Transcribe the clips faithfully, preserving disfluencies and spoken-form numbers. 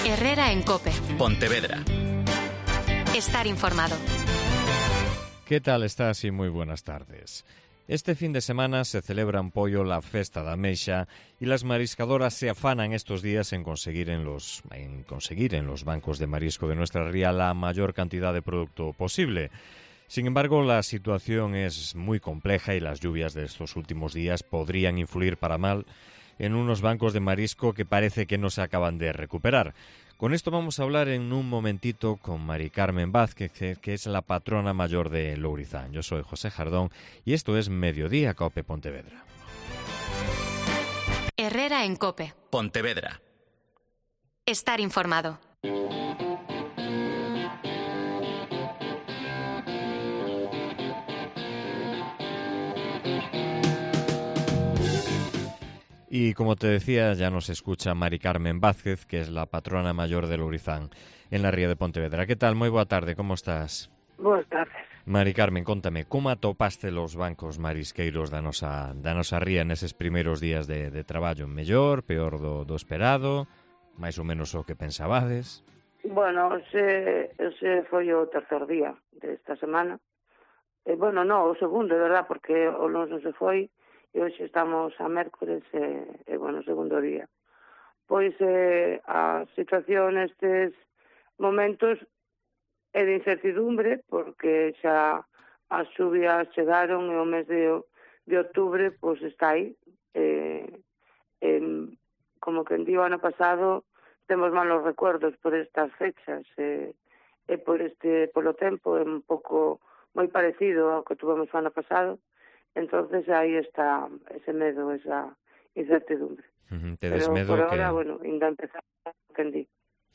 Herrera en COPE. Pontevedra. Estar informado. ¿Qué tal estás? Y muy buenas tardes. Este fin de semana se celebra en Poio la Festa da Ameixa y las mariscadoras se afanan estos días en conseguir en los, en conseguir en los bancos de marisco de nuestra ría la mayor cantidad de producto posible. Sin embargo, la situación es muy compleja y las lluvias de estos últimos días podrían influir para mal en unos bancos de marisco que parece que no se acaban de recuperar. Con esto vamos a hablar en un momentito con Mari Carmen Vázquez, que es la patrona mayor de Lourizán. Yo soy José Jardón y esto es Mediodía COPE Pontevedra. Herrera en COPE. Pontevedra. Estar informado. Y como te decía, ya nos escucha Mari Carmen Vázquez, que es la patrona mayor de Lourizán en la ría de Pontevedra. ¿Qué tal? Moi boa tarde, como estás? Boas tardes. Mari Carmen, contame, como atopaste los bancos marisqueiros da nosa, da nosa ría neses primeiros días de, de traballo? Mellor, peor do, do esperado, máis ou menos o que pensabades? Bueno, ese, ese foi o tercer día desta semana. E, bueno, non, o segundo, de verdad, porque o lunes non se foi, e hoxe estamos a mércores e, e bueno, segundo día. Pois eh, a situación nestes momentos é de incertidumbre, porque xa as xuvias chegaron e o mes de, de outubro pois está aí. Eh, eh, como que en día o ano pasado temos malos recuerdos por estas fechas e, e por este polo tempo é un pouco moi parecido ao que tuvemos o ano pasado. Entonces aí está ese medo, esa incertidumbre. Uh-huh. Pero medo por que... ahora, bueno, ainda empezar que en di.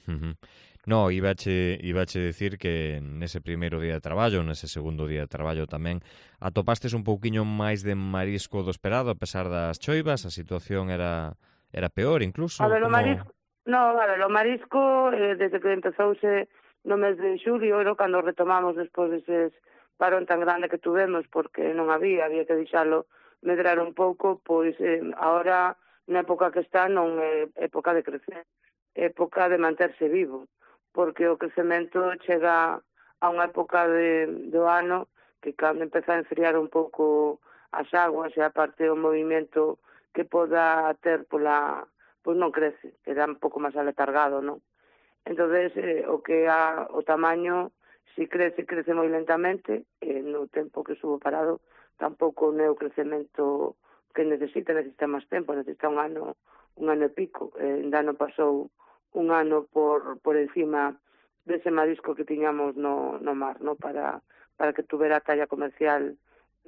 Uh-huh. No, ibache, ibache decir que nese primeiro día de traballo, nese segundo día de traballo tamén, atopastes un pouquiño máis de marisco do esperado, a pesar das choivas, a situación era era peor incluso. A ver, como... o marisco, no, a ver, o marisco, eh, desde que empezouse no mes de xulio, era cando retomamos despois deses parón tan grande que tuvemos, porque non había, había que deixalo medrar un pouco, pois eh, ahora, na época que está, non é época de crecer, é época de manterse vivo, porque o crecemento chega a unha época de, do ano que cando empeza a enfriar un pouco as aguas e aparte o movimento que poda ter pola, pois non crece, queda un pouco máis aletargado, non? Entonces, eh, o que a, o tamaño si crece, crece moi lentamente, e no tempo que estuvo parado tampouco non é o crecemento que necesita, necesita máis tempo, necesita un ano, un ano e pico. Eh, ainda non pasou un ano por, por encima dese marisco que tiñamos no, no mar, no? Para, para que tuvera talla comercial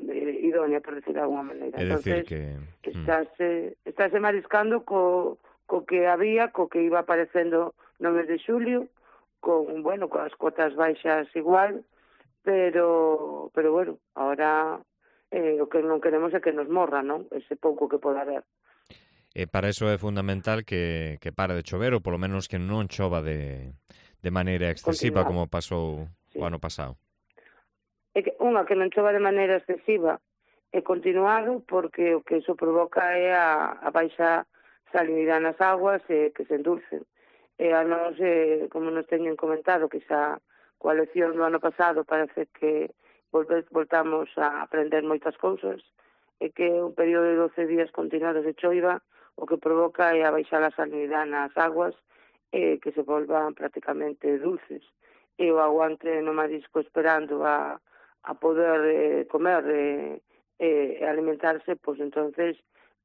eh, idónea, por decir de alguna maneira. É Entonces, decir que... estáse, estáse mariscando co, co que había, co que iba aparecendo no mes de xulio, con, bueno, con as cuotas baixas igual, pero, pero bueno, ahora eh, o que non queremos é que nos morra, non? Ese pouco que poda haber. E para eso é fundamental que, que pare de chover, ou polo menos que non chova de, de maneira excesiva, Continuar. como pasou Sí. o ano pasado. É que unha que non chova de maneira excesiva é continuado, porque o que iso provoca é a, a baixa salinidade nas aguas e que se endulcen. E a nos, eh, como nos teñen comentado, que xa coa lección do ano pasado parece que volve, voltamos a aprender moitas cousas, e que un período de doce días continuados de choiva o que provoca é a baixar a salinidade nas aguas e que se volvan prácticamente dulces. E o aguante no marisco esperando a, a poder eh, comer e eh, eh, alimentarse, pois entonces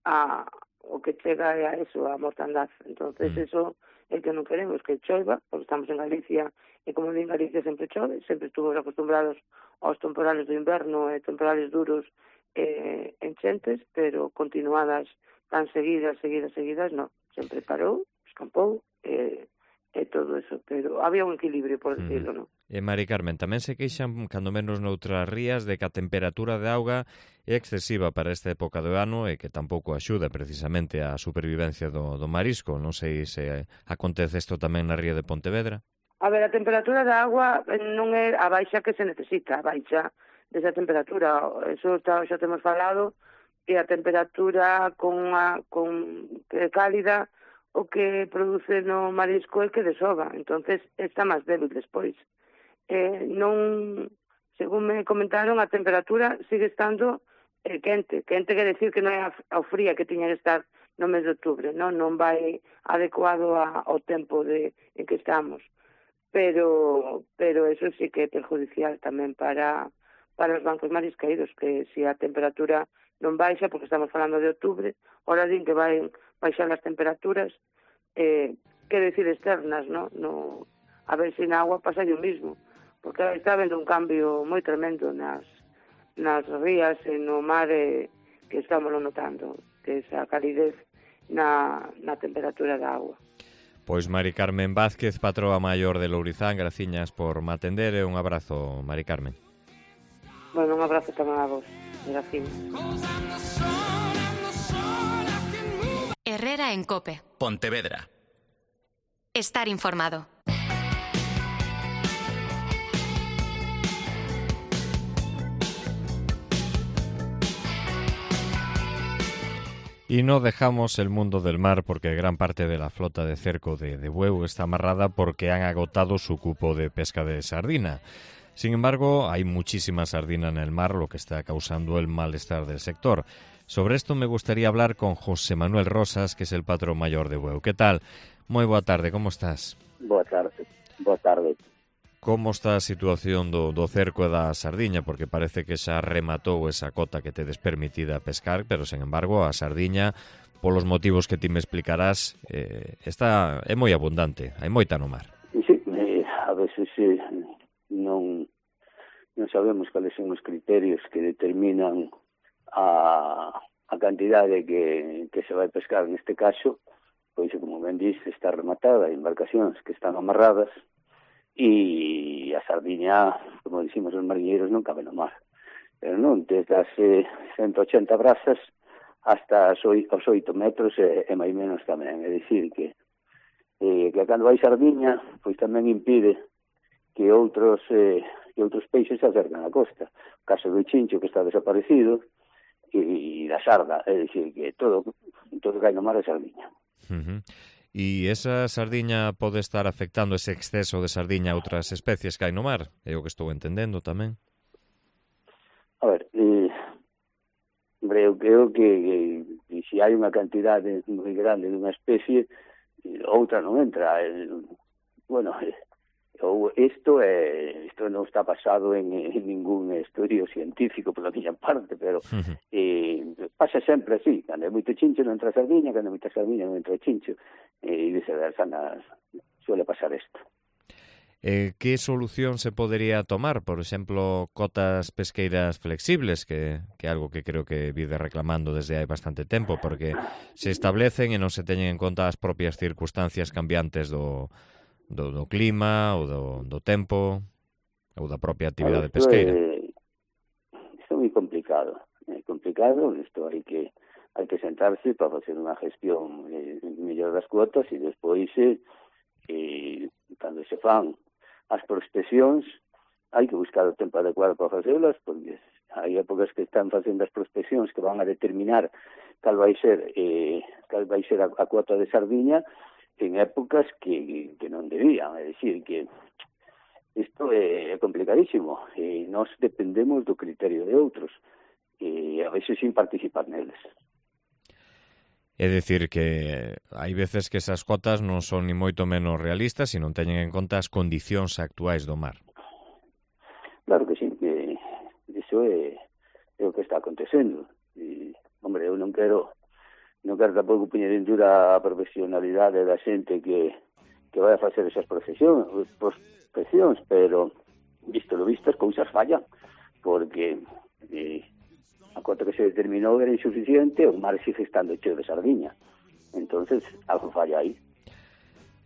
a, o que chega é a eso, a mortandad. Entonces mm. eso é que non queremos que choiva, porque estamos en Galicia, e como en Galicia sempre chove, sempre estuvimos acostumbrados aos temporales do inverno e temporales duros e eh, enchentes, pero continuadas tan seguidas, seguidas, seguidas, non. Sempre parou, escampou, e, e todo eso, pero había un equilibrio, por decirlo, non? E Mari Carmen, tamén se queixan, cando menos noutras rías, de que a temperatura de auga é excesiva para esta época do ano e que tampouco axuda precisamente á supervivencia do, do marisco. Non sei se acontece isto tamén na ría de Pontevedra. A ver, a temperatura da agua non é a baixa que se necesita, a baixa desa temperatura. Eso está, xa temos falado, e a temperatura con a, con, que é cálida o que produce no marisco é que desova, entonces está máis débil despois. Eh, non, según me comentaron, a temperatura sigue estando eh, quente. Quente quer decir que non é ao fría que tiña que estar no mes de outubro, non, non vai adecuado a, ao tempo de, en que estamos. Pero pero eso sí que é perjudicial tamén para, para os bancos marisqueiros, que se a temperatura non baixa, porque estamos falando de outubro, ahora din que vai baixar as temperaturas, eh, quero dicir externas, no? No, a ver se na agua pasa o mismo, porque está habendo un cambio moi tremendo nas, nas rías e no mar, eh, que estamos notando, que esa calidez na, na temperatura da agua. Pois Mari Carmen Vázquez, patroa maior de Lourizán, graciñas por me atender e un abrazo, Mari Carmen. Bueno, un abrazo tamén a vos, graciñas. Herrera en COPE. Pontevedra. Estar informado. Y no dejamos el mundo del mar porque gran parte de la flota de cerco de, de Bueu está amarrada porque han agotado su cupo de pesca de sardina. Sin embargo, hay muchísima sardina en el mar, lo que está causando el malestar del sector. Sobre esto me gustaría hablar con José Manuel Rosas, que es el patrón mayor de Bueu. ¿Qué tal? Moi boa tarde, como estás? Boa tarde, boa tarde. Como está a situación do, do cerco e da sardiña? Porque parece que xa rematou esa cota que tedes permitida pescar, pero, sen embargo, a sardiña, polos motivos que ti me explicarás, eh, está é moi abundante, hai moita no mar. Sí, eh, a veces eh, non, non sabemos cales son os criterios que determinan a, a cantidade que, que se vai pescar neste caso, pois, como ben diz, está rematada, hai embarcacións que están amarradas, e a sardiña, como dicimos os mariñeiros, non cabe no mar. Pero non, desde as eh, ciento ochenta brazas hasta os oito metros e, e máis menos tamén. É dicir que, eh, que cando hai sardiña, pois tamén impide que outros eh, que outros peixes se acercan á costa. O caso do chincho, que está desaparecido, e, e da sarda, é dicir que todo, todo que hai no mar é sardiña. Uh-huh. E esa sardiña pode estar afectando ese exceso de sardiña a outras especies que hai no mar? É o que estou entendendo tamén. A ver, eh, eu creo que, que, que se hai unha cantidade moi grande dunha especie, outra non entra. Eh, bueno, eh, ou isto é, isto non está basado en, en ningún estudio científico pola miña parte, pero uh-huh. eh, pasa sempre así, cando hai moito chincho non entra sardiña, cando hai moita sardiña non entra chincho, e viceversa, suele pasar isto. Eh, que solución se podería tomar? Por exemplo, cotas pesqueiras flexibles, que, que é algo que creo que vide reclamando desde hai bastante tempo, porque se establecen e non se teñen en conta as propias circunstancias cambiantes do Do, do clima, ou do, do tempo, ou da propia actividade pesqueira. É, isto é moi complicado. É complicado, isto hai que hai que sentarse para facer unha gestión eh, mellor das cuotas e despois, eh, eh, cando se fan as prospeccións, hai que buscar o tempo adecuado para facelas, porque hai épocas que están facendo as prospeccións que van a determinar cal vai ser, eh, cal vai ser a, a cuota de sardiña, en épocas que, que non debían, é dicir, que isto é complicadísimo, e nós dependemos do criterio de outros, e a veces sin participar neles. É dicir que hai veces que esas cotas non son ni moito menos realistas e non teñen en conta as condicións actuais do mar. Claro que sí, que iso é, é o que está acontecendo. E, hombre, eu non quero non quero tampouco poñer en dura a profesionalidade da xente que, que vai a facer esas prospeccións, prospeccións, pero visto lo visto as cousas fallan, porque eh, a cota que se determinou era insuficiente, o mar sigue estando cheo de sardiña, entonces algo falla aí.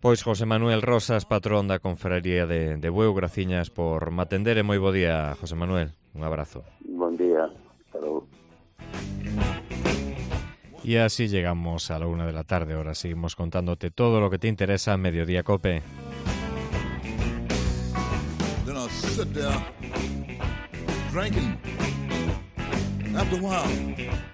Pois José Manuel Rosas, patrón da Confraría de, de Bueu, graciñas por me atender e moi bo día, José Manuel, un abrazo. Bon día, hasta logo. Y así llegamos a la una de la tarde. Ahora seguimos contándote todo lo que te interesa en Mediodía Cope. Then I'll sit there drinking. After a while,